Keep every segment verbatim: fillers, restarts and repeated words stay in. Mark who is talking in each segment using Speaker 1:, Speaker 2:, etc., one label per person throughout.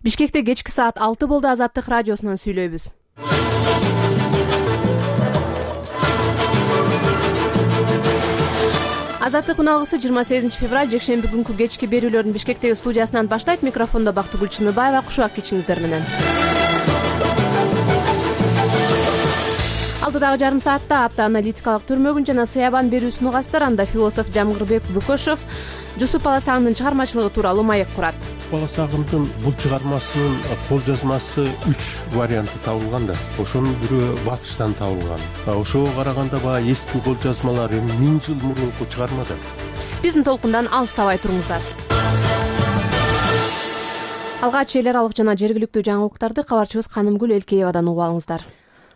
Speaker 1: Бишкекте кечки саат алты болду. Азаттык радиосунан сүйлөйбүз. Азаттык унагысы жыйырма сегизинчи февраль жекшемби күнкү кечки берүүлөрдүн Бишкектеги студиясынан баштайт. Микрофондо Бактыгүл Чыныбаева. Кушубак кечиңиздер менен. Алдыдагы жарым саатта апта аналитикалык түрмөгүн жана сыябан берүүсүн угасыздар. Анда философ Жамгырбек Бөкөшев Жусуп Баласагымдын чыгармачылыгы тууралуу маек курат.
Speaker 2: Баласагымдын бул чыгармасынын кол жазмасы үч варианты табылган да. Ошонун бирөө батыштан табылган. Ошого караганда баягы эски кол жазмалар эми миң жыл мурунку чыгарма да.
Speaker 1: Биздин толкундан алыстабай туруңуздар. Алгач эл аралык жана жергиликтүү жаңылыктарды кабарчыбыз Канымгүл Элкеевадан угуп алыңыздар.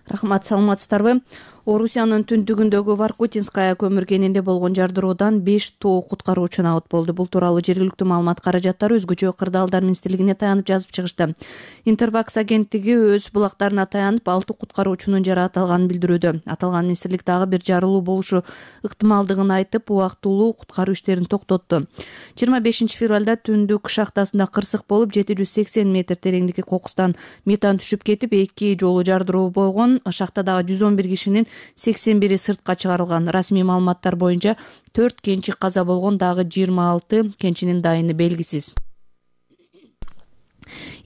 Speaker 3: Рахмат, саламатсыздарбы? Орусиянын түндүгүндөгү Воркутинская көмүр кенинде болгон жардыроодан беш тоо куткаруучу абат болду. Бул тууралуу жергиликтүү маалымат каражаттары өзгөчө кырдаалдар министрлигине таянып жазып чыгышты. Интерфакс агенттиги өз булактарына таянып алты куткаруучунун жаратылганын билдирүүдө. Аталган министрлик дагы бир жарылуу болушу ыктымалдыгын айтып, убактылуу куткаруу иштерин токтотту. жыйырма бешинчи февралда түндүк шахтасында кырсык болуп, жети жүз сексен метр тереңдикке кокустан метан түшүп кетип, эки жолу жардыроо болгон. Шахтадагы жүз он бир кишинин сексен бири сыртка чыгарылган. Расмий маалыматтар боюнча төрт кенчи каза болгон, дагы жыйырма алты кенчинин дайыны белгисиз.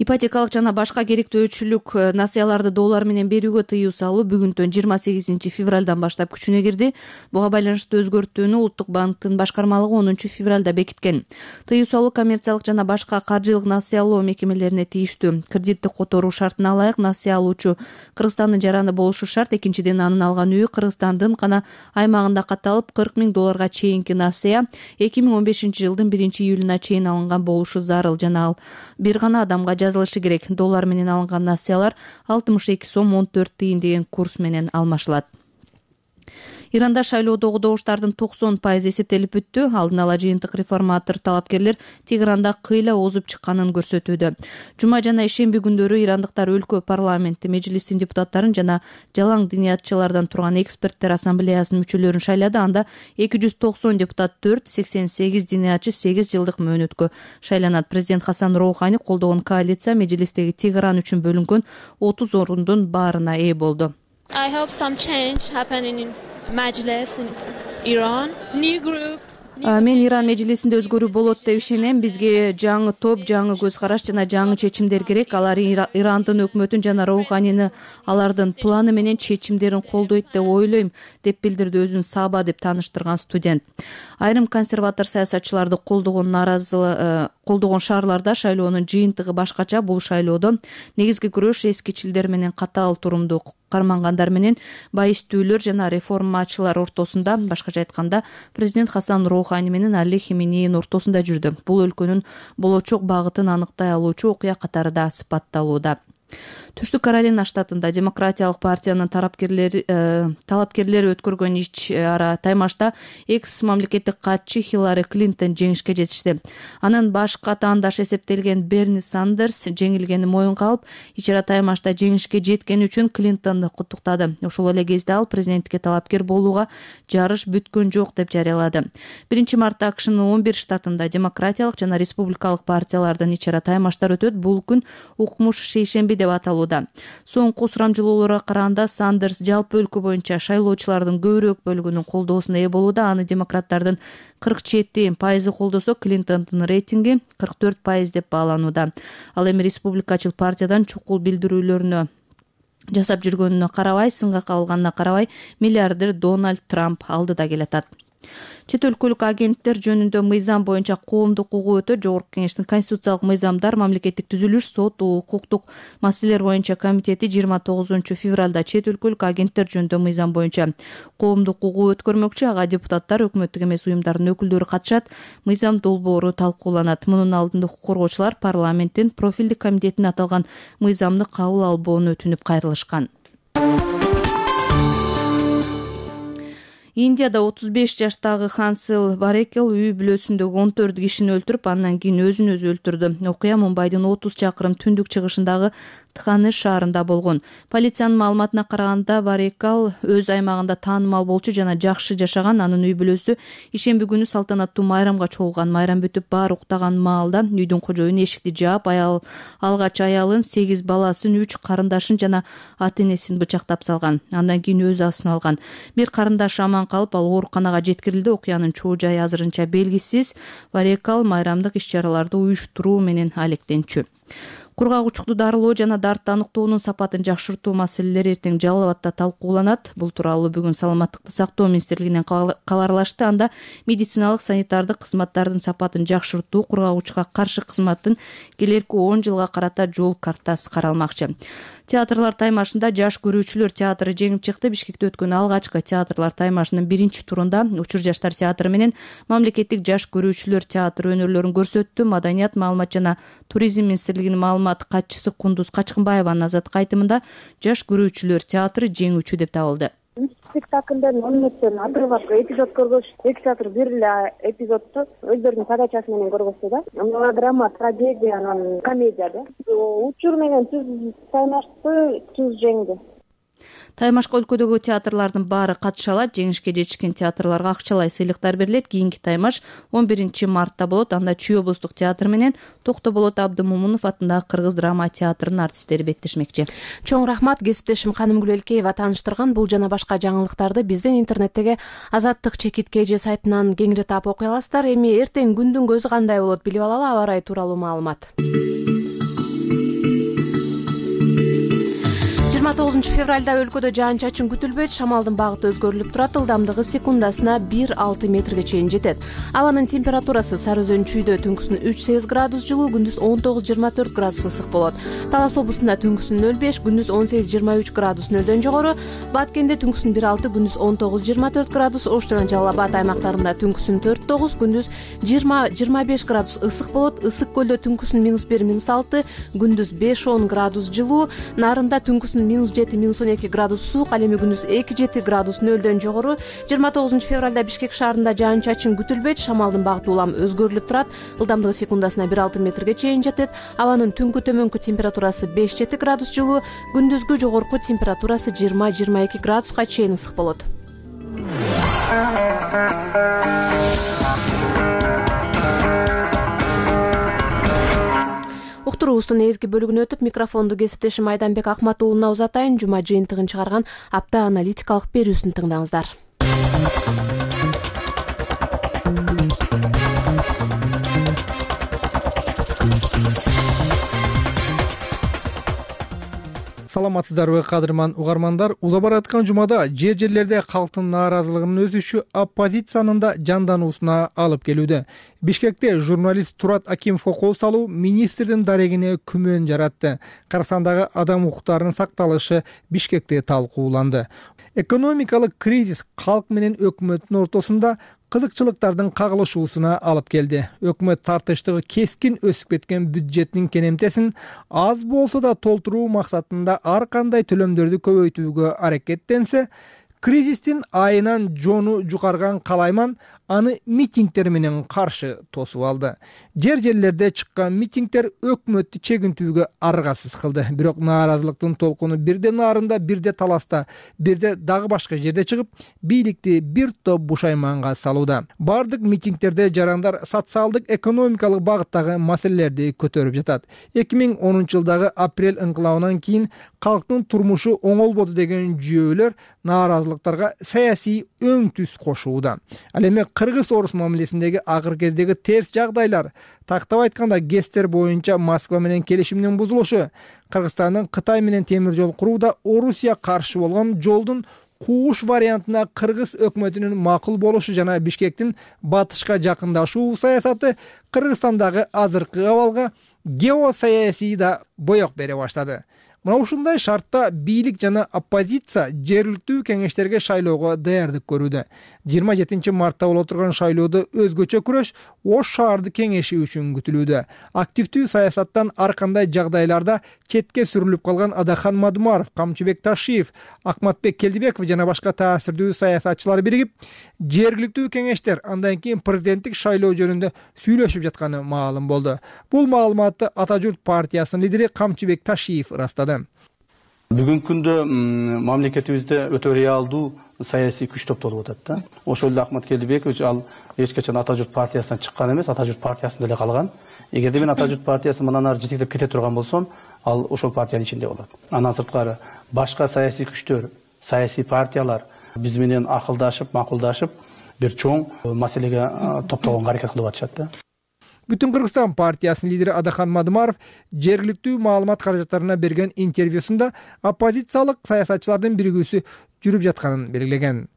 Speaker 3: Ипотекалык жана башка керектөөчүлүк насыяларды доллар менен берүүгө тыюу салуу бүгүнтөн жыйырма сегизинчи февралдан баштап күчүнө кирди. Буга байланыштуу өзгөртүүнү Улуттук банктын башкармалыгы онунчу февралда бекиткен. Тыюу салуу коммерциялык жана башка каржылык насыялоо мекемелерине тийиштүү. Кредиттик которуу шартына ылайык насыя алуучу Кыргызстандын жараны болушу шарт. Экинчиден, анын алган үйү Кыргызстандын гана аймагында катталып, кырк миң долларга чейинки насыя эки миң он бешинчи жылдын биринчи июлуна чейин алынган болушу зарыл. Жана ал бир гана адамга жазылышы керек. Доллар менен алынган насыялар алтымыш эки сом он төрт тыйын деген курс менен алмашылат. Иранда шайлоодогу добуштардын токсон пайызы эсептелип бүттү. Алдын ала жыйынтык реформатор талапкерлер Тегеранда кыйла озуп чыкканын көрсөтүүдө. Жума жана ишемби күндөрү ирандыктар өлкө парламенти, межлистин депутаттарын жана жалаң диниятчылардан турган эксперттер ассамблеясынын мүчөлөрүн шайлады. Анда эки жүз токсон депутат төрт, сексен сегиз диниятчы сегиз жылдык мөөнөткө шайланат. Президент Хасан Роухани колдогон коалиция межлистеги Тегеран үчүн бөлүнгөн отуз орундун баарына ээ болду.
Speaker 4: I hope some change happening in Majlis in Iran. New group.
Speaker 3: Мен Иран межлисинде өзгөрүү болот деп ишенем. Бизге жаңы топ, жаңы көз караш жана жаңы чечимдер керек. Алар Ирандын өкмөтүн жана Роуханини алардын планы менен чечимдерин колдойт деп ойлойм, деп билдирди өзүн Саба деп тааныштырган студент. Айрым консерватор саясатчыларды колдогон наразылык колдогон шаарларда шайлоонун жыйынтыгы башкача. Бул шайлоодо негизги күрөш эскичилдер менен катаал турумдуу кармангандар менен байыстүүлөр жана реформачылар ортосунда, башкача айтканда, президент Хасан Роухани менен Али Хименейдин ортосунда жүрдү. Бул өлкөнүн болочок багытын аныктай алуучу окуя катары да сыпатталууда. Түштүк Каролина штатында Демократиялык партиянын тарапкерлери э, талапкерлери өткөргөн ич ара таймашта экс мамлекеттик катчы Хиллари Клинтон жеңишке жетишти. Анын баш катаандаш эсептелген Берни Сандерс жеңилгени моюнга алып, ич ара таймашта жеңишке жеткени үчүн Клинтонду куттуктады. Ошол эле кезде ал президенттикке талапкер болууга жарыш бүткөн жок деп жарыялады. биринчи мартта АКШнын он бир штатында Демократиялык жана Республикалык партиялардын ич ара таймаштар өтөт. Бул күн укмуш шейшемби деп аталат. Соңку сурамжылоолорго караганда Сандерс жалпы өлкө боюнча шайлоочулардын көбүрөөк бөлүгүнүн колдоосуна ээ болууда. Аны демократтардын кырк жети пайызы колдосо, Клинтондун рейтинги кырк төрт пайыз деп бааланууда. Ал эми республикачыл партиядан чукул билдирүүлөрүнө жасап жүргөнүнө карабай, сынга кабылганына карабай, миллиардер Дональд Трамп алдыда келатат. Чет өлкөлүк агенттер жөнүндө мыйзам боюнча коомдук угуу өтөт. Жогорку кеңештин конституциялык мыйзамдар, мамлекеттик түзүлүш, сот, укуктук маселелер боюнча комитети жыйырма тогузунчу февралда чет өлкөлүк агенттер жөнүндө мыйзам боюнча коомдук угуу өткөрмөкчү. Ага депутаттар, өкмөттүк эмес уюмдардын өкүлдөрү катышат. Мыйзам долбоору талкууланат. Мунун алдында укук коргоочулар парламенттин профилдик комитетине аталган мыйзамды кабыл албоону өтүнүп кайрылышкан. Индияда отуз беш жаштагы Хансел Варекел үй бүлөсүндөгү он төрт кишини өлтүрүп, андан кийин өзүн өзү өлтүрдү. Окуя Мумбайдын отуз чакырым түндүк чыгышындагы Тханы шаарында болгон. Полициянын маалыматына караганда, Варекал өз аймагында таанымал болчу жана жакшы жашаган. Анын үй бүлөсү ишемби күнү салтанаттуу майрамга чогулган. Майрам бүтүп баары уктаган маалда үйдүн кожоюну эшикти жаап, аял алгач аялын, сегиз баласын, үч карындашын жана ата энесин бычактап салган. Андан кийин өзү асын алган. Бир карындашы аман калып, ал ооруканага жеткирилди. Окуянын чоо жайы азырынча белгисиз. Варекал майрамдык иш-чараларды уюштуруу менен алектенчү. Кургагучту дарылоо жана дартты аныктоонун сапатын жакшыртуу маселелери эртең Жалал абадта талкууланат. Бул тууралуу бүгүн Саламаттыкты сактоо министрлигинен кабарлашты. Анда медициналык санитардык кызматтардын сапатын жакшыртуу, кургагучка каршы кызматтын келерки он жылга карата жол картасы каралмакчы. Театрлар таймашында жаш көрүүчүлөр театры жеңип чыкты. Бишкекте өткөн алгачкы театрлар таймашынын биринчи турунда Учур жаштар театры менен Мамлекеттик жаш көрүүчүлөр театры өнөрлөрүн көрсөттү. Маданият, маалымат жана туризм министрлигинин маалымат катчысы Кундуз Качкынбаеванын азаттык айтымында жаш көрүүчүлөр театры жеңүүчү деп табылды.
Speaker 5: Спектакльден он мүнөттөн отрывок эпизод көргөч, эки театр бир эле эпизодду өздөрүнүн подачасы менен көргөздү да. Мелодрама, трагедия, анан комедия да. Учур менен түз таймашты түз жеңди.
Speaker 3: Таймашка өлкөдөгү театрлардын баары катыша алат. Жеңишке жетишкен театрларга акчалай сыйлыктар берилет. Кийинки таймаш он биринчи мартта болот. Анда Чүй облустук театр менен Токтоболот Абдымомунов атындагы Кыргыз драма театрынын артисттери беттешмекчи.
Speaker 1: Чоң рахмат, кесиптешим Канымгүл Элкеева тааныштырган. Бул жана башка жаңылыктарды биздин интернеттеги Азаттык чекит кж сайтынан кеңири таап окуй аласыздар. Эми эртең күндүн көзү кандай болот билип алалы. Аба ырайы тууралуу маалымат. жыйырма тогузунчу февралда өлкөдө жаан-чачын күтүлбөйт. Шамалдын багыты өзгөрүлүп турат. Ылдамдыгы секундасына бир алты метрге чейин жетет. Абанын температурасы Сары Өзөн Чүйдө түнкүсүн үч сегиз градус жылуу, күндүз он тогуз жыйырма төрт градус ысык болот. Талас облусунда түнкүсүн нөл беш, күндүз он сегиз жыйырма үч градус нөлдөн жогору. Баткенде түнкүсүн бир алты, күндүз он тогуз жыйырма төрт градус. Ош жана Жалал Абад аймактарында түнкүсүн төрт тогуз, күндүз жыйырма жыйырма беш градус ысык болот. Ысык көлдө түнкүсүн минус бир минус алты, күндүз беш он градус жылуу. Нарында түнкүсүн минус жети минус он эки градус суук, ал эми күндүз эки жети градус нөлдөн жогору. жыйырма тогузунчу февралда Бишкек шаарында жаан-чачын күтүлбөйт. Шамалдын багыты улам өзгөрүлүп турат. Ылдамдыгы секундасына бир алты метрге чейин жетет. Абанын түнкү төмөнкү температурасы беш жети градус жылуу, күндүзгү жогорку температурасы жыйырма жыйырма эки градуска чейин ысык болот. Уктуруубуздун эзги бөлүгүнө өтүп, микрофонду кесиптешим Айданбек Акматуулуна узатайын. Жума жыйынтыгын чыгарган апта аналитикалык берүүсүн тыңдаңыздар.
Speaker 6: Саламатсыздарбы, кадырман угармандар. Уза бараткан жумада жер жерлерде калктын нааразылыгынын өсүшү оппозициянын да жандануусуна алып келүүдө. Бишкекте журналист Турат Акимовго кол салуу министрдин дарегине күмөн жаратты. Кыргызстандагы адам укуктарынын сакталышы Бишкекте талкууланды. Экономикалык кризис калк менен өкмөттүн ортосунда кызыкчылыктардын кагылышуусуна алып келди. Өкмөт тартыштыгы кескин өсүп кеткен бюджеттин кенемтесин аз болсо да толтуруу максатында ар кандай төлөмдөрдү көбөйтүүгө аракеттенсе, кризистин айынан жону жукарган калайман аны митингдер менен каршы тосуп алды. Жер жерлерде чыккан митингдер өкмөттү чегинтүүгө аргасыз кылды. Бирок нааразылыктын толкуну бирде Нарында, бирде Таласта, бирде дагы башка жерде чыгып, бийликти бир топ бушайманга салууда. Бардык митингдерде жарандар социалдык экономикалык багыттагы маселелерди көтөрүп жатат. эки миң онунчу жылдагы апрель ыңкылабынан кийин калктын турмушу оңолбоду деген жүйөлөр нааразылыктарга саясий өң түс кошууда. Ал эми кыргыз-орус мамилесиндеги акыр кездеги терс жагдайлар, тактап айтканда ГЭСтер боюнча Москва менен келишимдин бузулушу, Кыргызстандын Кытай менен темир жол курууда Орусия каршы болгон жолдун кууш вариантына кыргыз өкмөтүнүн макул болушу жана Бишкектин батышка жакындашуу саясаты Кыргызстандагы азыркы абалга геосаясий да боек бере баштады. Мына ушундай шартта бийлик жана оппозиция жергиликтүү кеңештерге шайлоого даярдык көрүүдө. жыйырма жетинчи мартта боло турган шайлоодо өзгөчө күрөш Ош шаарды кеңеши үчүн күтүлүүдө. Активдүү саясаттан ар кандай жагдайларда четке сүрүлүп калган Адахан Мадумаров, Камчыбек Ташиев, Акматбек Келдибеков жана башка таасирдүү саясатчылар биригип, жергиликтүү кеңештер андан кийин президенттик шайлоо жөнүндө сүйлөшүп жатканы маалым болду. Бул маалыматты Ата журт партиясынын лидери Камчыбек Ташиев ырастады.
Speaker 7: Бүгүнкү күндө мамлекетибизде өтө реалдуу саясий күч топтолуп атат да. Ошол эле Акмат Келдибекович ал эч качан Ата журт партиясынан чыккан эмес, Ата журт партиясында эле калган. Эгерде мен Ата журт партиясы мындан ары жетектеп кете турган болсом, ал ошол партиянын ичинде болот. Андан сырткары башка саясий күчтөр, саясий партиялар биз менен акылдашып, макулдашып, бир чоң маселеге топтогонго аракет кылып атышат да.
Speaker 6: Бүтүн Кыргызстан партиясынын лидери Адахан Мадумаров жергиликтүү маалымат каражаттарына берген интервьюсунда оппозициялык саясатчылардын биригүүсү жүрүп жатканын белгилеген.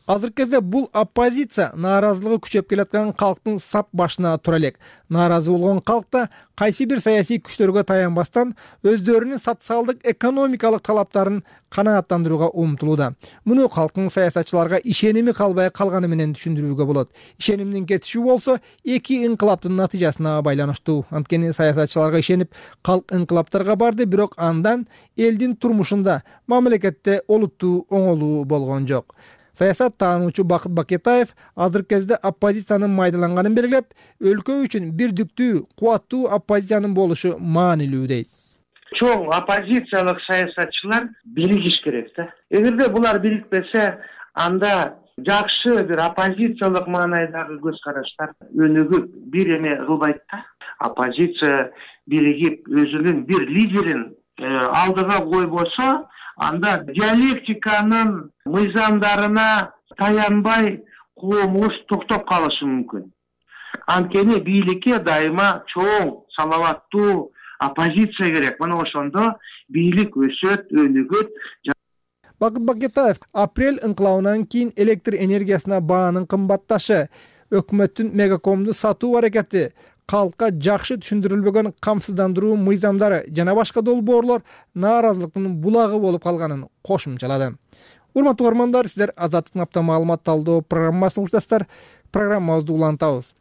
Speaker 6: Азыркы кезде бул оппозиция нааразылыгы күчөп келаткан калктын сап башына тура элек. Нааразы болгон калкта кайсы бир саясий күчтөргө таянбастан өздөрүнүн социалдык экономикалык талаптарын канааттандырууга умтулууда. Муну калктын саясатчыларга ишеними калбай калганы менен түшүндүрүүгө болот. Ишенимдин кетиши болсо эки инкылаптын натыйжасына байланыштуу. Анткени саясатчыларга ишенип калк инкылаптарга барды, бирок андан элдин турмушунда, мамлекетте олуттуу оңолуу болгон жок. Саясат таануучу Бакыт Бакетаев азыркы кезде оппозициянын майдаланганын белгилеп, өлкө үчүн бирдиктүү, кубаттуу оппозициянын болушу маанилүү дейт.
Speaker 8: Чоң оппозициялык саясатчылар биригиш керек да. Эгерде булар бирикпесе, анда жакшы бир оппозициялык маанайдагы көз караштар өнүгүп бир эме кылбайт да. Оппозиция биригип өзүнүн бир лидерин алдыга койбосо, анда диалектиканын мыйзамдарына таянбай коомубуз токтоп калышы мүмкүн. Анткени бийликке дайыма чоң, салаваттуу оппозиция керек. Мына ошондо бийлик өсөт, өнүгөт.
Speaker 6: Бакыт Бакетаев апрель инкылабынан кийин электр энергиясына баанын кымбатташы, өкмөттүн мегакомду сатуу аракети, калкка жакшы түшүндүрүлбөгөн камсыздандыруу мыйзамдары жана башка долбоорлор нааразылыктын булагы болуп калганын кошумчалады. Урматтуу угармандар, сиздер Азаттыктын апта маалымат талдоо программасын уктасыздар. Программабызды улантабыз.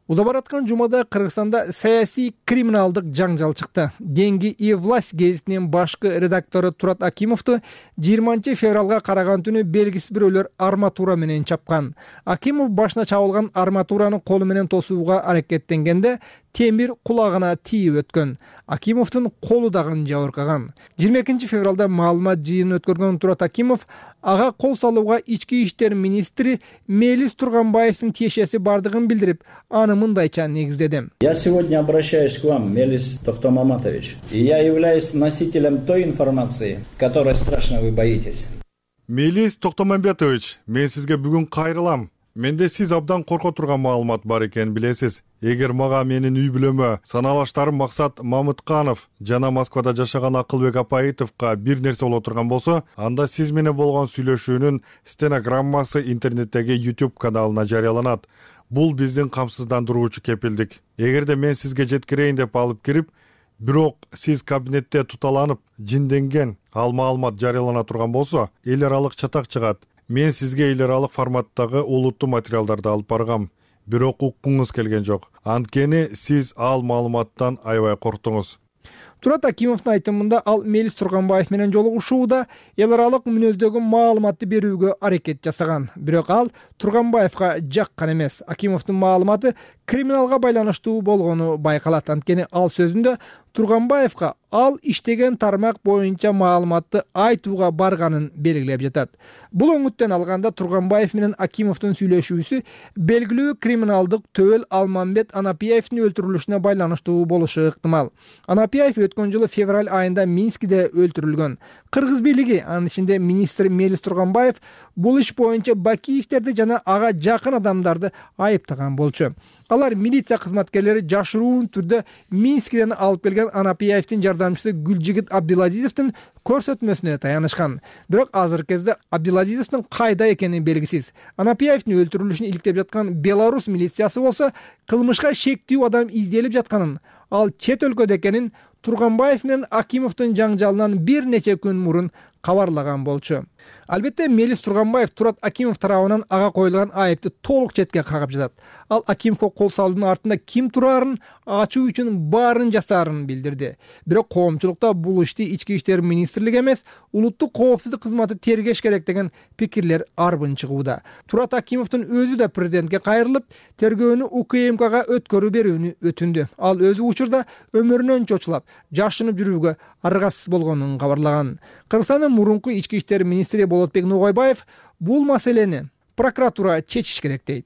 Speaker 6: Уза бараткан жумада Кыргызстанда саясий криминалдык жаңжал чыкты. Деньги и власть гезитинин башкы редактору Турат Акимовду жыйырманчы февралга караган түнү белгисиз бирөөлөр арматура менен чапкан. Акимов башына чабылган арматураны колу менен тосууга аракеттенгенде темир кулагына тийип өткөн. Акимовдун колу дагы жабыркаган. жыйырма экинчи февралда маалымат жыйынын өткөргөн Турат Акимов ага кол салууга ички иштер министри Мелис Турганбаевдин тиешеси бардыгын билдирип, аны мындайча негиздеди.
Speaker 9: Я сегодня обращаюсь к вам, Мелис Тохтомаматович, и я являюсь носителем той информации, которой страшно вы боитесь.
Speaker 10: Мелис Тохтомамбетович, мен сизге бүгүн кайрылам. Менде сиз абдан корко турган маалымат бар экенин билесиз. Эгер мага менин үй бүлөмө саналаштарым Максат Мамытканов жана Москвада жашаган Акылбек Апаитовго бир нерсе боло турган болсо, анда сиз менен болгон сүйлөшүүнүн стенограммасы интернеттеги YouTube каналына жарыяланат. Бул биздин камсыздандыруучу кепилдик. Эгерде мен сизге жеткирейин деп алып кирип, бирок сиз кабинетте туталанып, жинденген ал маалымат жарыялана турган болсо, эл аралык чатак чыгат. Мен сизге эл аралык форматтагы олуттуу материалдарды алып баргам. Бирок уккуңуз келген жок. Анткени сиз ал маалыматтан аябай корктуңуз.
Speaker 6: Турат Акимовдун айтымында ал Мелис Турганбаев менен жолугушууда эл аралык мүнөздөгү маалыматты берүүгө аракет жасаган. Бирок ал Турганбаевга жаккан эмес. Акимовдун маалыматы криминалга байланыштуу болгону байкалат. Анткени ал сөзүндө Турганбаевга ал иштеген тармак боюнча маалыматты айтууга барганын белгилеп жатат. Бул өңүттөн алганда Турганбаев менен Акимовдун сүйлөшүүсү белгилүү криминалдык төбөл Алмамбет Анапиевдин өлтүрүлүшүнө байланыштуу болушу ыктымал. Анапиев өткөн жылы февраль айында Минскиде өлтүрүлгөн. Кыргыз бийлиги, анын ичинде министр Мелис Турганбаев, бул иш боюнча Бакиевтерди жана ага жакын адамдарды айыптаган болчу. Алар милиция кызматкерлери жашыруун түрдө Минскиден алып келген Анапиевдин жардамчысы Гүлжигит Абдиладизовдун көрсөтмөсүнө таянышкан. Бирок азыркы кезде Абдиладизовдун кайда экени белгисиз. Анапиевдин өлтүрүлүшүн иликтеп жаткан Беларусь милициясы болсо, кылмышка шектүү адам изделип жатканын, ал чет өлкөдө экенин Турганбаев менен Акимовдун жаңжалынан бир нече күн мурун кабарлаган болчу. Албетте Мелис Турганбаев Турат Акимов тарабынан ага коюлган айыпты толук четке кагып жатат. Ал Акимовго кол салуунун артында ким турарын ачуу үчүн баарын жасаарын билдирди. Бирок коомчулукта бул ишти ички иштер министрлиги эмес, улуттук коопсуздук кызматы тергеш керек деген пикирлер арбын чыгууда. Турат Акимовдун өзү да президентке кайрылып, тергөөнү УКМКга өткөрүү берүүнү өтүндү. Ал өзү учурда өмүрүнөн чочулап, жашынып жүрүүгө аргасыз болгонун кабарлаган. Кыргызстандын мурунку ички иштер министри Болотбек Ногойбаев бул маселени прокуратура чечиш керек дейт.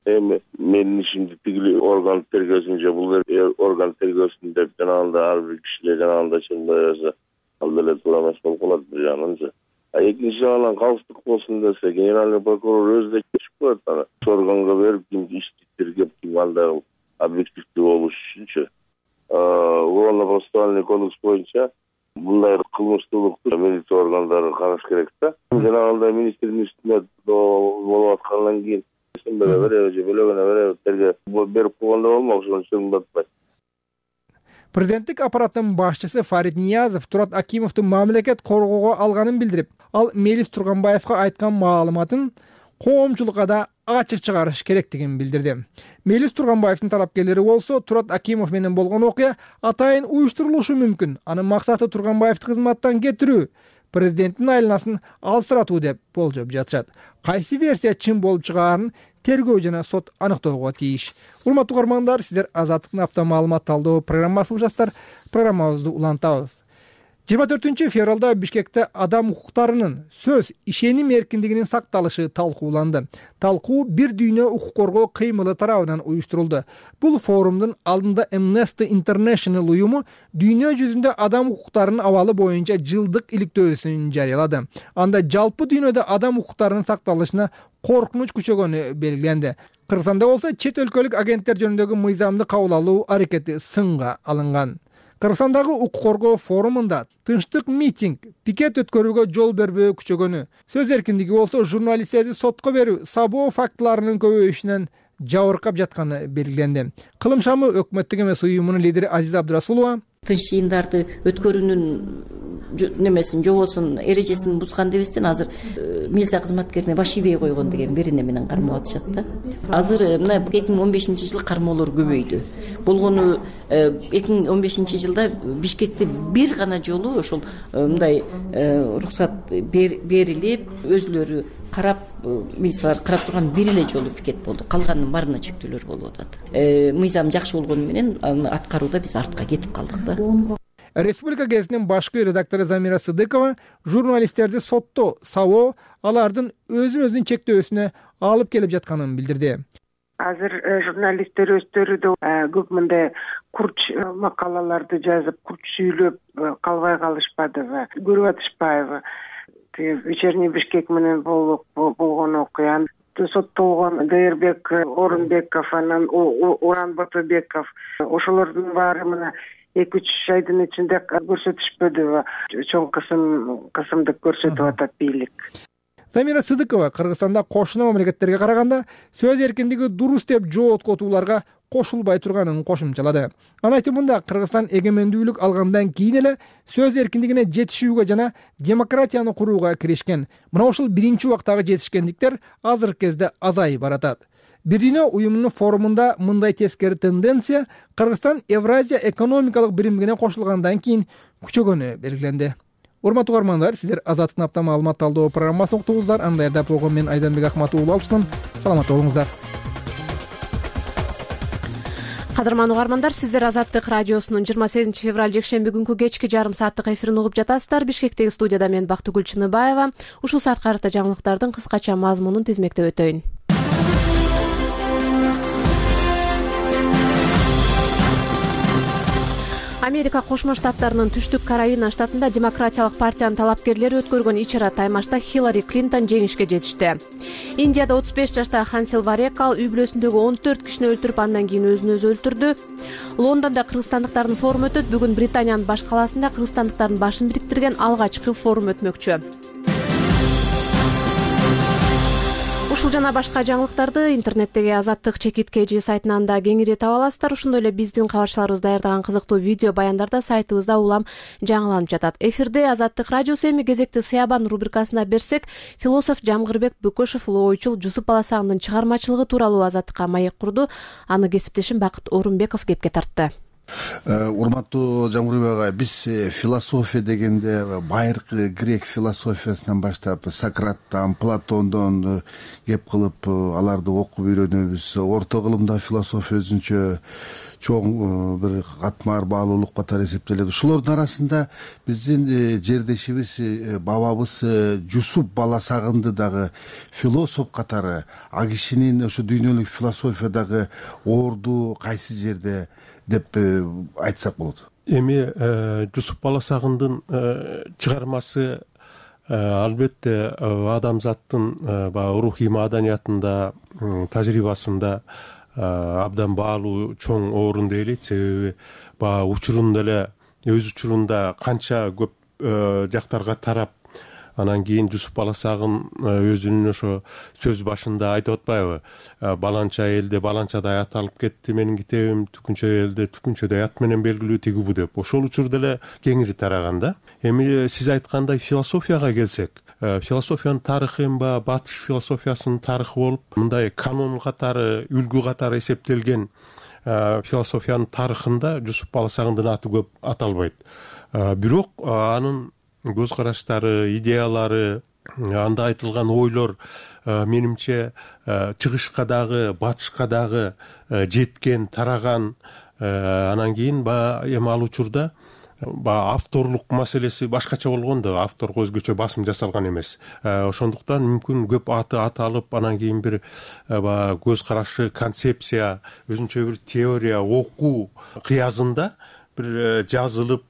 Speaker 11: Эми менин ишимди тигил орган тергөөсүн же бул орган тергөөсүн деп жанагында ар бир кишилер жанагында чыгбай берсе, ал деле туура эмес болуп калат бир жагынан. А экинчи жагынан калыстык болсун десе, генеральный прокурор өзү да чечип коет аны. Органга берип, ким ишти тергеп, ким андай объективдүү болуш үчүнчү. Уголовно-процессуальный кодекс боюнча мындай кылмыштуулукту милиция органдары караш керек да. Жанагындай министрдин үстүнө болуп аткандан кийин бере бере же бөлөгөнө бере тергеп берип койгондо болмок, ошон үчүн батпайт.
Speaker 6: Президенттик аппараттын башчысы Фарид Ниязов Турат Акимовду мамлекет коргоого алганын билдирип, ал Мелис Турганбаевга айткан маалыматын коомчулукка да ачык чыгарыш керектигин билдирди. Мелис Турганбаевдин талапкерлери болсо, Турат Акимов менен болгон окуя атайын уюштурулушу мүмкүн. Анын максаты Турганбаевди кызматтан кетирүү, президенттин айланасын алсыратуу деп болжоп жатышат. Кайсы версия чын болуп чыгаарын тергөө жана сот аныктоого тийиш. Урматтуу угармандар, сиздер Азаттыктын апта маалымат талдоо программасын угасыздар. Программабызды улантабыз. жыйырма төртүнчү февралда Бишкекте адам укуктарынын сөз, ишеним эркиндигинин сакталышы талкууланды. Талкуу бир дүйнө укук коргоо кыймылы тарабынан уюштурулду. Бул форумдун алдында Amnesty International уюму дүйнө жүзүндө адам укуктарынын абалы боюнча жылдык иликтөөсүн жарыялады. Анда жалпы дүйнөдө адам укуктарынын сакталышына коркунуч күчөгөнү белгиленди. Кыргызстанда болсо чет өлкөлүк агенттер жөнүндөгү мыйзамды кабыл алуу аракети сынга алынган. Кыргызстандагы укук коргоо форумунда тынчтык митинг, пикет өткөрүүгө жол бербөө күчөгөнү, сөз эркиндиги болсо журналисттерди сотко берүү, сабоо фактыларынын көбөйүшүнөн жабыркап жатканы белгиленди. Кылым шамы өкмөттүк эмес уюмунун лидери Азиза Абдырасулова
Speaker 12: тынч жыйындарды өткөрүүнүн немесин жобосун эрежесин бузган дебестен азыр милиция кызматкерине баш ийбей койгон деген берене менен кармап атышат да. Азыр мына эки миң он бешинчи жылы кармоолор көбөйдү. Болгону эки миң он бешинчи жылда Бишкекте бир гана жолу ошол мындай уруксат берилип, өзүлөрү карап, милициялар карап турган бир эле жолу пикет болду. Калганынын баарына чектөөлөр болуп атат. Мыйзам жакшы болгону менен аны аткарууда биз артка кетип калдык да.
Speaker 6: Республика гезитинин башкы редактору Замира Сыдыкова журналисттерди сотто сабоо алардын өзүн-өзүн чектөөсүнө алып келип жатканын билдирди.
Speaker 13: Азыр журналисттер өздөрү да көп мындай курч макалаларды жазып, курч сүйлөп калбай калышпадыбы, көрүп атышпайбы. Вечерний Бишкек менен болгон окуя, соттолгон Дайырбек Орунбеков, анан Уран Батыбеков, ошолордун баары мына эки үч айдын ичинде көрсөтүшпөдүбү? Чоң кысым кысымдык көрсөтүп атат бийлик.
Speaker 6: Замира Сыдыкова Кыргызстанда кошуна мамлекеттерге караганда сөз эркиндиги дурус деп жооткотууларга кошулбай турганын кошумчалады. Анын айтымында Кыргызстан эгемендүүлүк алгандан кийин эле сөз эркиндигине жетишүүгө жана демократияны курууга киришкен. Мына ушул биринчи убактагы жетишкендиктер азыркы кезде азайып баратат. Бир дүйнө уюмунун форумунда мындай тескери тенденция Кыргызстан Евразия экономикалык биримдигине кошулгандан кийин күчөгөнү белгиленди. Урматтуу угармандар, сиздер Азаттыктын апта маалымат талдоо программасын уктуңуздар. Аны даярдап болгон мен Айданбек Акматов уулу алчысынан. Саламатта болуңуздар.
Speaker 1: Кадырман угармандар, сиздер Азаттык радиосунун жыйырма сегизинчи февраль жекшемби күнкү кечки жарым сааттык эфирин угуп жатасыздар. Бишкектеги студияда мен Бактыгүл Чыныбаева. Ушул саатка карата жаңылыктардын кыскача мазмунун тизмектеп өтөйүн. Америка Кошмо Штаттарынын Түштүк Каролина штатында Демократиялык партиянын талапкерлери өткөргөн ичара таймашта Хиллари Клинтон жеңишке жетишти. Индияда отуз беш жаштагы Хансел Варекал үй бүлөсүндөгү он төрт кишини өлтүрүп, андан кийин өзүн өзү өлтүрдү. Лондондо кыргызстандыктардын форуму өтөт. Бүгүн Британиянын баш калаасында кыргызстандыктардын башын бириктирген алгачкы форум өтмөкчү. Ушул жана башка жаңылыктарды интернеттеги Азаттык чекит kg сайтынан да кеңири таба аласыздар. Ошондой эле биздин кабарчыларыбыз даярдаган кызыктуу видео баяндар да сайтыбызда улам жаңыланып жатат. Эфирде Азаттык радиосу. Эми кезекти Сыябан рубрикасына берсек, философ Жамгырбек Бөкөшев улуу ойчул Жусуп Баласагындын чыгармачылыгы тууралуу Азаттыкка маек курду. Аны кесиптешим Бакыт Орунбеков кепке тартты.
Speaker 14: Урматтуу Жамгырбек агай, биз философия дегенде байыркы грек философиясынан баштап Сократтан, Платондон кеп кылып аларды окуп үйрөнөбүз. Орто кылымда философия өзүнчө чоң бир катмар баалуулук катары эсептелет. Ушулордун арасында биздин жердешибиз, бабабыз Жусуп Баласагынды дагы философ катары, а кишинин ошо дүйнөлүк философиядагы орду кайсы жерде деп айтсак болот.
Speaker 2: Эми Жусуп Баласагындын чыгармасы албетте адамзаттын баягы рухий маданиятында, тажрыйбасында абдан баалуу чоң орунду ээлейт. Себеби баягы учурунда эле өз учурунда канча көп жактарга тарап, анан кийин Жусуп Баласагын өзүнүн ошо сөз башында айтып атпайбы? Баланча элде баланчадай ат алып кетти менин китебим, түкүнчө элде түкүнчөдөй ат менен белгилүү тиги бу деп. Ошол учурда эле кеңири тараган да. Эми сиз айткандай философияга келсек, философиянын тарыхы эми баягы батыш философиясынын тарыхы болуп, мындай канон катары, үлгү катары эсептелген философиянын тарыхында Жусуп Баласагындын аты көп аталбайт. Бирок анын көз караштары, идеялары, анда айтылган ойлор менимче чыгышка дагы, батышка дагы жеткен, тараган. Анан кийин баягы эми ал учурда баягы авторлук маселеси башкача болгон да, авторго өзгөчө басым жасалган эмес. Ошондуктан мүмкүн көп аты аталып, анан кийин бир баягы көз карашы, концепция, өзүнчө бир теория, окуу кыязында бир жазылып,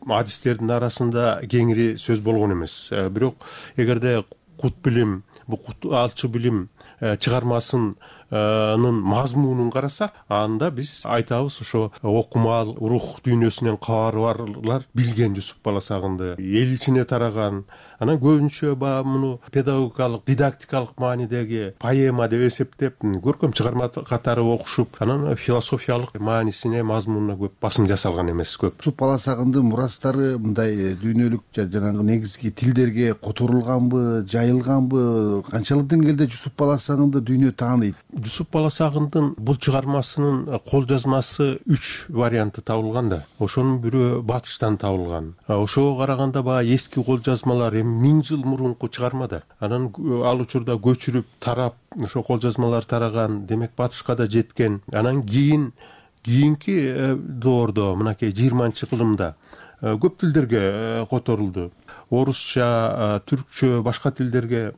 Speaker 2: адистердин арасында кеңири сөз болгон эмес. Бирок эгерде кут билим, бу алчы билим чыгармасынын мазмунун карасак, анда биз айтабыз ошо окумал, рух дүйнөсүнөн кабары барлар билген Жусуп Баласагынды, эл ичине тараган. Анан көбүнчө баягы муну педагогикалык, дидактикалык маанидеги поэма деп эсептеп, көркөм чыгарма катары окушуп, анан философиялык маанисине, мазмунуна көп басым жасалган эмес көп.
Speaker 14: Жусуп Баласагындын мурастары мындай дүйнөлүк жанагы негизги тилдерге которулганбы, жайылганбы? Канчалык деңгээлде Жусуп Баласагынды дүйнө тааныйт?
Speaker 2: Жусуп Баласагындын бул чыгармасынын кол жазмасы үч варианты табылган да. Ошонун бирөө батыштан табылган. Ошого караганда баягы эски кол жазмалар миң жыл мурунку чыгарма да. Анан ал учурда көчүрүп, тарап, ошо кол жазмалар тараган, демек батышка да жеткен. Анан кийин кийинки доордо, мынакей жыйырманчы кылымда көп тилдерге которулду. Орусча, түркчө, башка тилдерге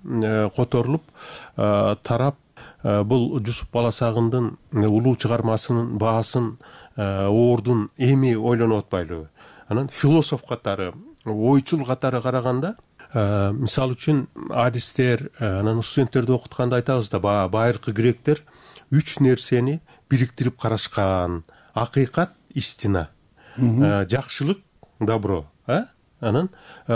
Speaker 2: которулуп, тарап, бул Жусуп Баласагындын улуу чыгармасынын баасын, ордун эми ойлонуп атпайлыбы? Анан философ катары, ойчул катары караганда, мисалы үчүн адистер, анан студенттерди окутканда айтабыз да, байыркы гректер үч нерсени бириктирип карашкан: акыйкат, истина, жакшылык, добро, анан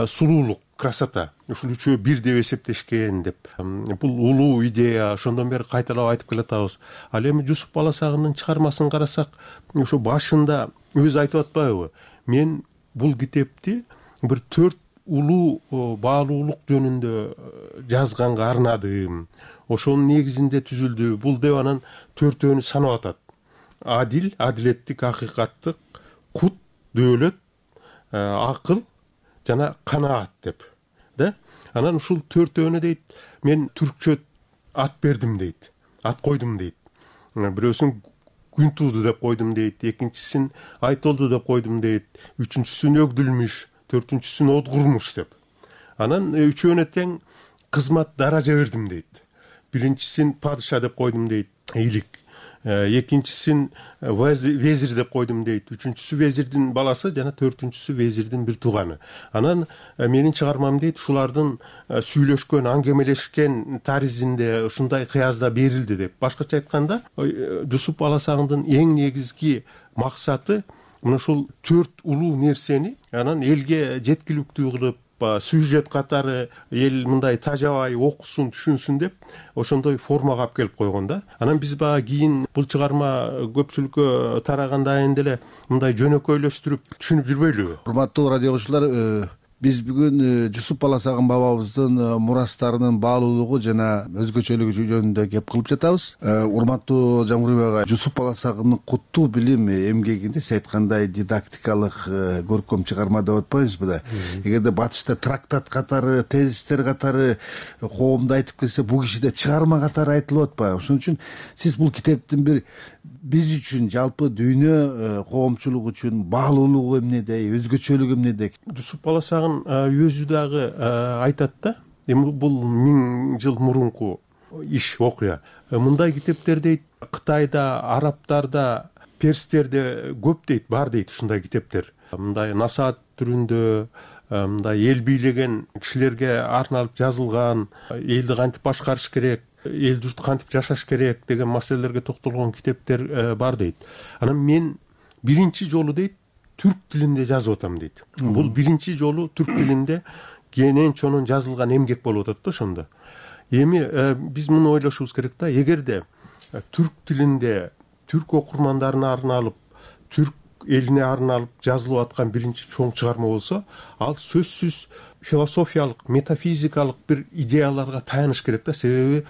Speaker 2: сулуулук, красота. Ушул үчөө бир деп эсептешкен деп. Бул улуу идея, ошондон бери кайталап айтып келатабыз. Ал эми Жусуп Баласагындын чыгармасын карасак, ошо башында өзү айтып атпайбы? Мен бул китепти бир төрт улуу баалуулук жөнүндө жазганга арнадым. Ошонун негизинде түзүлдү. Бул деп анан төртөөнү санап атат. Адил, адилеттик, акыйкаттык, кут, дөөлөт, акыл жана канаат деп. Да? Анан ушул төртөөнү дейт, мен түркчө ат бердим дейт. Ат койдум дейт. Бирөөсүн күн тууду деп койдум дейт, экинчисин айтолду деп койдум дейт, үчүнчүсүн өгдүлмүш, төртүнчүсүн одгурмуш деп. Анан үчөөнө тең кызмат даража бердим дейт. Биринчисин падыша деп койдум дейт, ийгилик. Экинчисин везир деп койдум дейт. Үчүнчүсү везирдин баласы жана төртүнчүсү везирдин бир тууганы. Анан менин чыгармам дейт, ушулардын сүйлөшкөн, аңгемелешкен таризинде ушундай кыязда берилди деп. Башкача айтканда, Жусуп Баласагындын эң негизги максаты мына ушул төрт улуу нерсени анан элге жеткиликтүү кылып, баягы сюжет катары эл мындай тажабай окусун, түшүнсүн деп ошондой формага алып келип койгон да. Анан биз баягы кийин бул чыгарма көпчүлүккө тарагандан кийин деле мындай жөнөкөйлөштүрүп түшүнүп жүрбөйлүбү?
Speaker 14: Урматтуу радио угуучулар, биз бүгүн Жусуп Баласагын бабабыздын мурастарынын баалуулугу жана өзгөчөлүгү жөнүндө кеп кылып жатабыз. Урматтуу Жамгырбек ага, Жусуп Баласагындын куттуу билим эмгегинде сиз айткандай дидактикалык көркөм чыгарма деп атпайбызбы да? Эгерде батышта трактат катары, тезистер катары коомдо айтып келсе, бул кишиде чыгарма катары айтылып атпайбы? Ошон үчүн сиз бул китептин бир биз үчүн, жалпы дүйнө коомчулугу үчүн баалуулугу эмнеде, өзгөчөлүгү эмнеде?
Speaker 2: Жусуп Баласагын өзү дагы айтат да, эми бул миң жыл мурунку иш, окуя. Мындай китептер дейт Кытайда, арабтарда, перстерде көп дейт, бар дейт ушундай китептер. Мындай насаат түрүндө, мындай эл бийлеген кишилерге арналып жазылган, элди кантип башкарыш керек, эл журт кантип жашаш керек деген маселелерге токтолгон китептер бар дейт. Анан мен биринчи жолу дейт түрк тилинде жазып атам дейт. Бул биринчи жолу түрк тилинде кенен чонун жазылган эмгек болуп атат да ошондо. Эми биз муну ойлошубуз керек да, эгерде түрк тилинде түрк окурмандарына арналып, түрк элине арналып жазылып аткан биринчи чоң чыгарма болсо, ал сөзсүз философиялык, метафизикалык бир идеяларга таяныш керек да. Себеби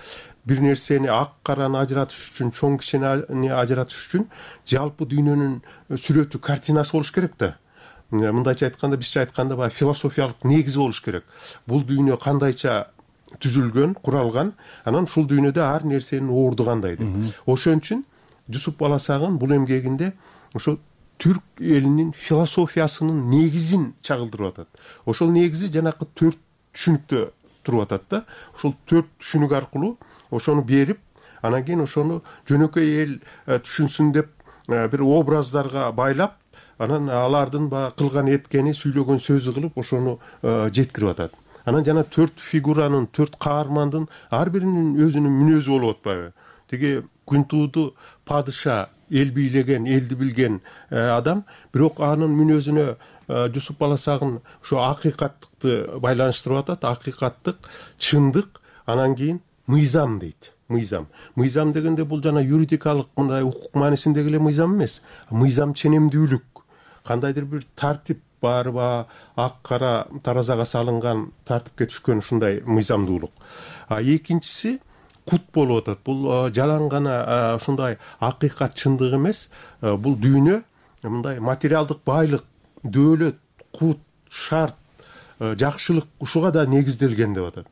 Speaker 2: бир нерсени ак караны ажыратыш үчүн, чоң кичинени ажыратыш үчүн жалпы дүйнөнүн сүрөтү, картинасы болуш керек да. Мындайча айтканда, бизче айтканда баягы философиялык негизи болуш керек. Бул дүйнө кандайча түзүлгөн, куралган, анан ушул дүйнөдө ар нерсенин орду кандай деп. Ошон үчүн Жусуп Баласагын бул эмгегинде ошо түрк элинин философиясынын негизин чагылдырып атат. Ошол негизи жанакы төрт түшүнүктө туруп атат да. Ошол төрт түшүнүк аркылуу ошону берип, анан кийин ошону жөнөкөй эл түшүнсүн деп бир образдарга байлап, анан алардын баягы кылган эткени, сүйлөгөн сөзү кылып ошону жеткирип атат. Анан жана төрт фигуранын, төрт каармандын ар биринин өзүнүн мүнөзү болуп атпайбы? Тиги Күнтууду падыша, эл бийлеген, элди билген адам, бирок анын мүнөзүнө Жусуп Баласагын ошо акыйкаттыкты байланыштырып атат. Акыйкаттык, чындык, анан кийин мыйзам дейт. Мыйзам. Мыйзам дегенде бул жана юридикалык мындай укук маанисиндеги эле мыйзам эмес. Мыйзам ченемдүүлүк. Кандайдыр бир тартип бар ба, ак кара таразага салынган, тартипке түшкөн ушундай мыйзамдуулук. А экинчиси кут болуп атат. Бул жалаң гана ушундай акыйкат, чындык эмес. Бул дүйнө мындай материалдык байлык, дөөлөт, кут, шарт, жакшылык ушуга да негизделген деп атат.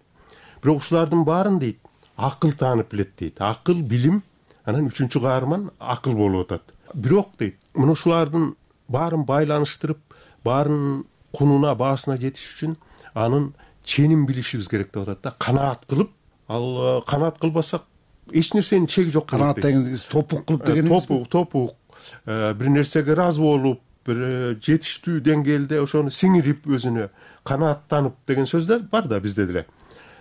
Speaker 2: Бирок ушулардын баарын дейт акыл таанып билет дейт. Акыл, билим, анан үчүнчү каарман акыл болуп атат. Бирок дейт, мына ушулардын баарын байланыштырып, баарын кунуна, баасына жетиш үчүн анын ченин билишибиз керек деп атат да. Канаат кылып, ал канаат кылбасак эч нерсенин чеги жок.
Speaker 14: Канаат дегенибиз топук кылып деген эмес.
Speaker 2: Топук, топук. Бир нерсеге ыраазы болуп, бир жетиштүү деңгээлде ошону сиңирип, өзүнө канааттанып деген сөздөр бар да бизде деле.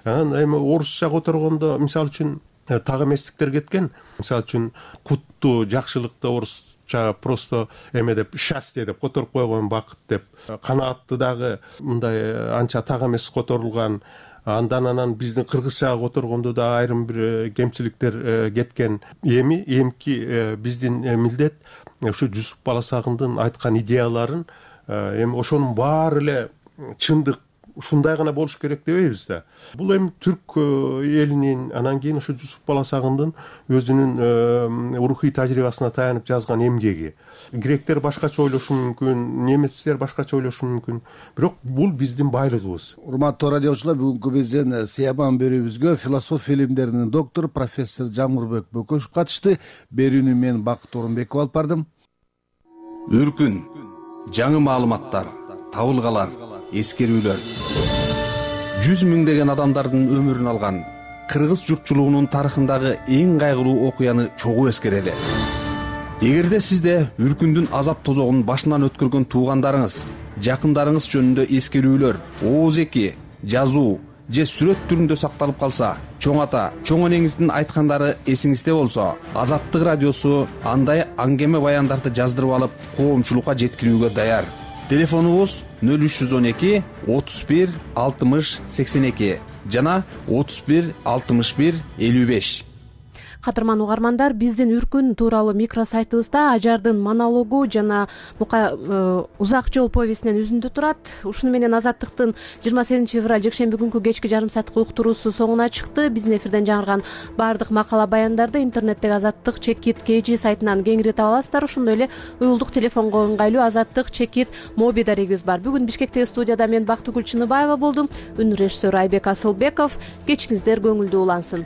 Speaker 2: Анан эми орусча которгондо, мисалы үчүн, так эместиктер кеткен. Мисалы үчүн, кутту, жакшылыкты орусча просто эме деп, счастье деп которуп койгон, бакыт деп. Канаатты дагы мындай анча так эмес которулган. Андан анан биздин кыргызчага которгондо да айрым бир кемчиликтер кеткен. Эми эмки биздин милдет ошо Жусуп Баласагындын айткан идеяларын эми ошонун баары эле чындык, ушундай гана болуш керек дебейбиз да. Бул эми түрк элинин, анан кийин ошо Жусуп Баласагындын өзүнүн рухий тажрыйбасына таянып жазган эмгеги. Гректер башкача ойлошу мүмкүн, немецтер башкача ойлошу мүмкүн, бирок бул биздин байлыгыбыз.
Speaker 14: Урматтуу радиочулар, бүгүнкү биздин сыйаман берүүбүзгө философия илимдеринин доктору профессор Жамгырбек Бөкөшев катышты. Берүүнү мен Бакыт Орунбеков алып бардым.
Speaker 15: Үркүн, жаңы маалыматтар, табылгалар, эскерүүлөр. Жүз миңдеген адамдардын өмүрүн алган кыргыз журтчулугунун тарыхындагы эң кайгылуу окуяны чогуу эскерели. Эгерде сизде үркүндүн азап тозогун башынан өткөргөн туугандарыңыз, жакындарыңыз жөнүндө эскерүүлөр, ооз эки, жазуу же сүрөт түрүндө сакталып калса, чоң ата, чоң энеңиздин айткандары эсиңизде болсо, Азаттык радиосу андай аңгеме баяндарды жаздырып алып, коомчулукка жеткирүүгө даяр. Телефонубуз нөл үч жүз он эки отуз бир алтымыш сексен эки жана отуз бир алтымыш бир элүү беш.
Speaker 1: Кадырман угармандар, биздин Үркүн тууралуу микросайтыбызда Ажардын монологу жана бука узак жол повестинен үзүндү турат. Ушуну менен Азаттыктын жыйырма сегизинчи февраль жекшемби күнкү кечки жарым сааттык уктуруусу соңуна чыкты. Биздин эфирден жаңырган баардык макала баяндарды интернеттеги Азаттык чекит kg сайтынан кеңири таба аласыздар. Ошондой эле уюлдук телефонго ыңгайлуу Азаттык чекит моби дарегибиз бар. Бүгүн Бишкектеги студияда мен Бактыгүл Чыныбаева болдум. Үн режиссеру Айбек Асылбеков. Кечиңиздер көңүлдүү улансын.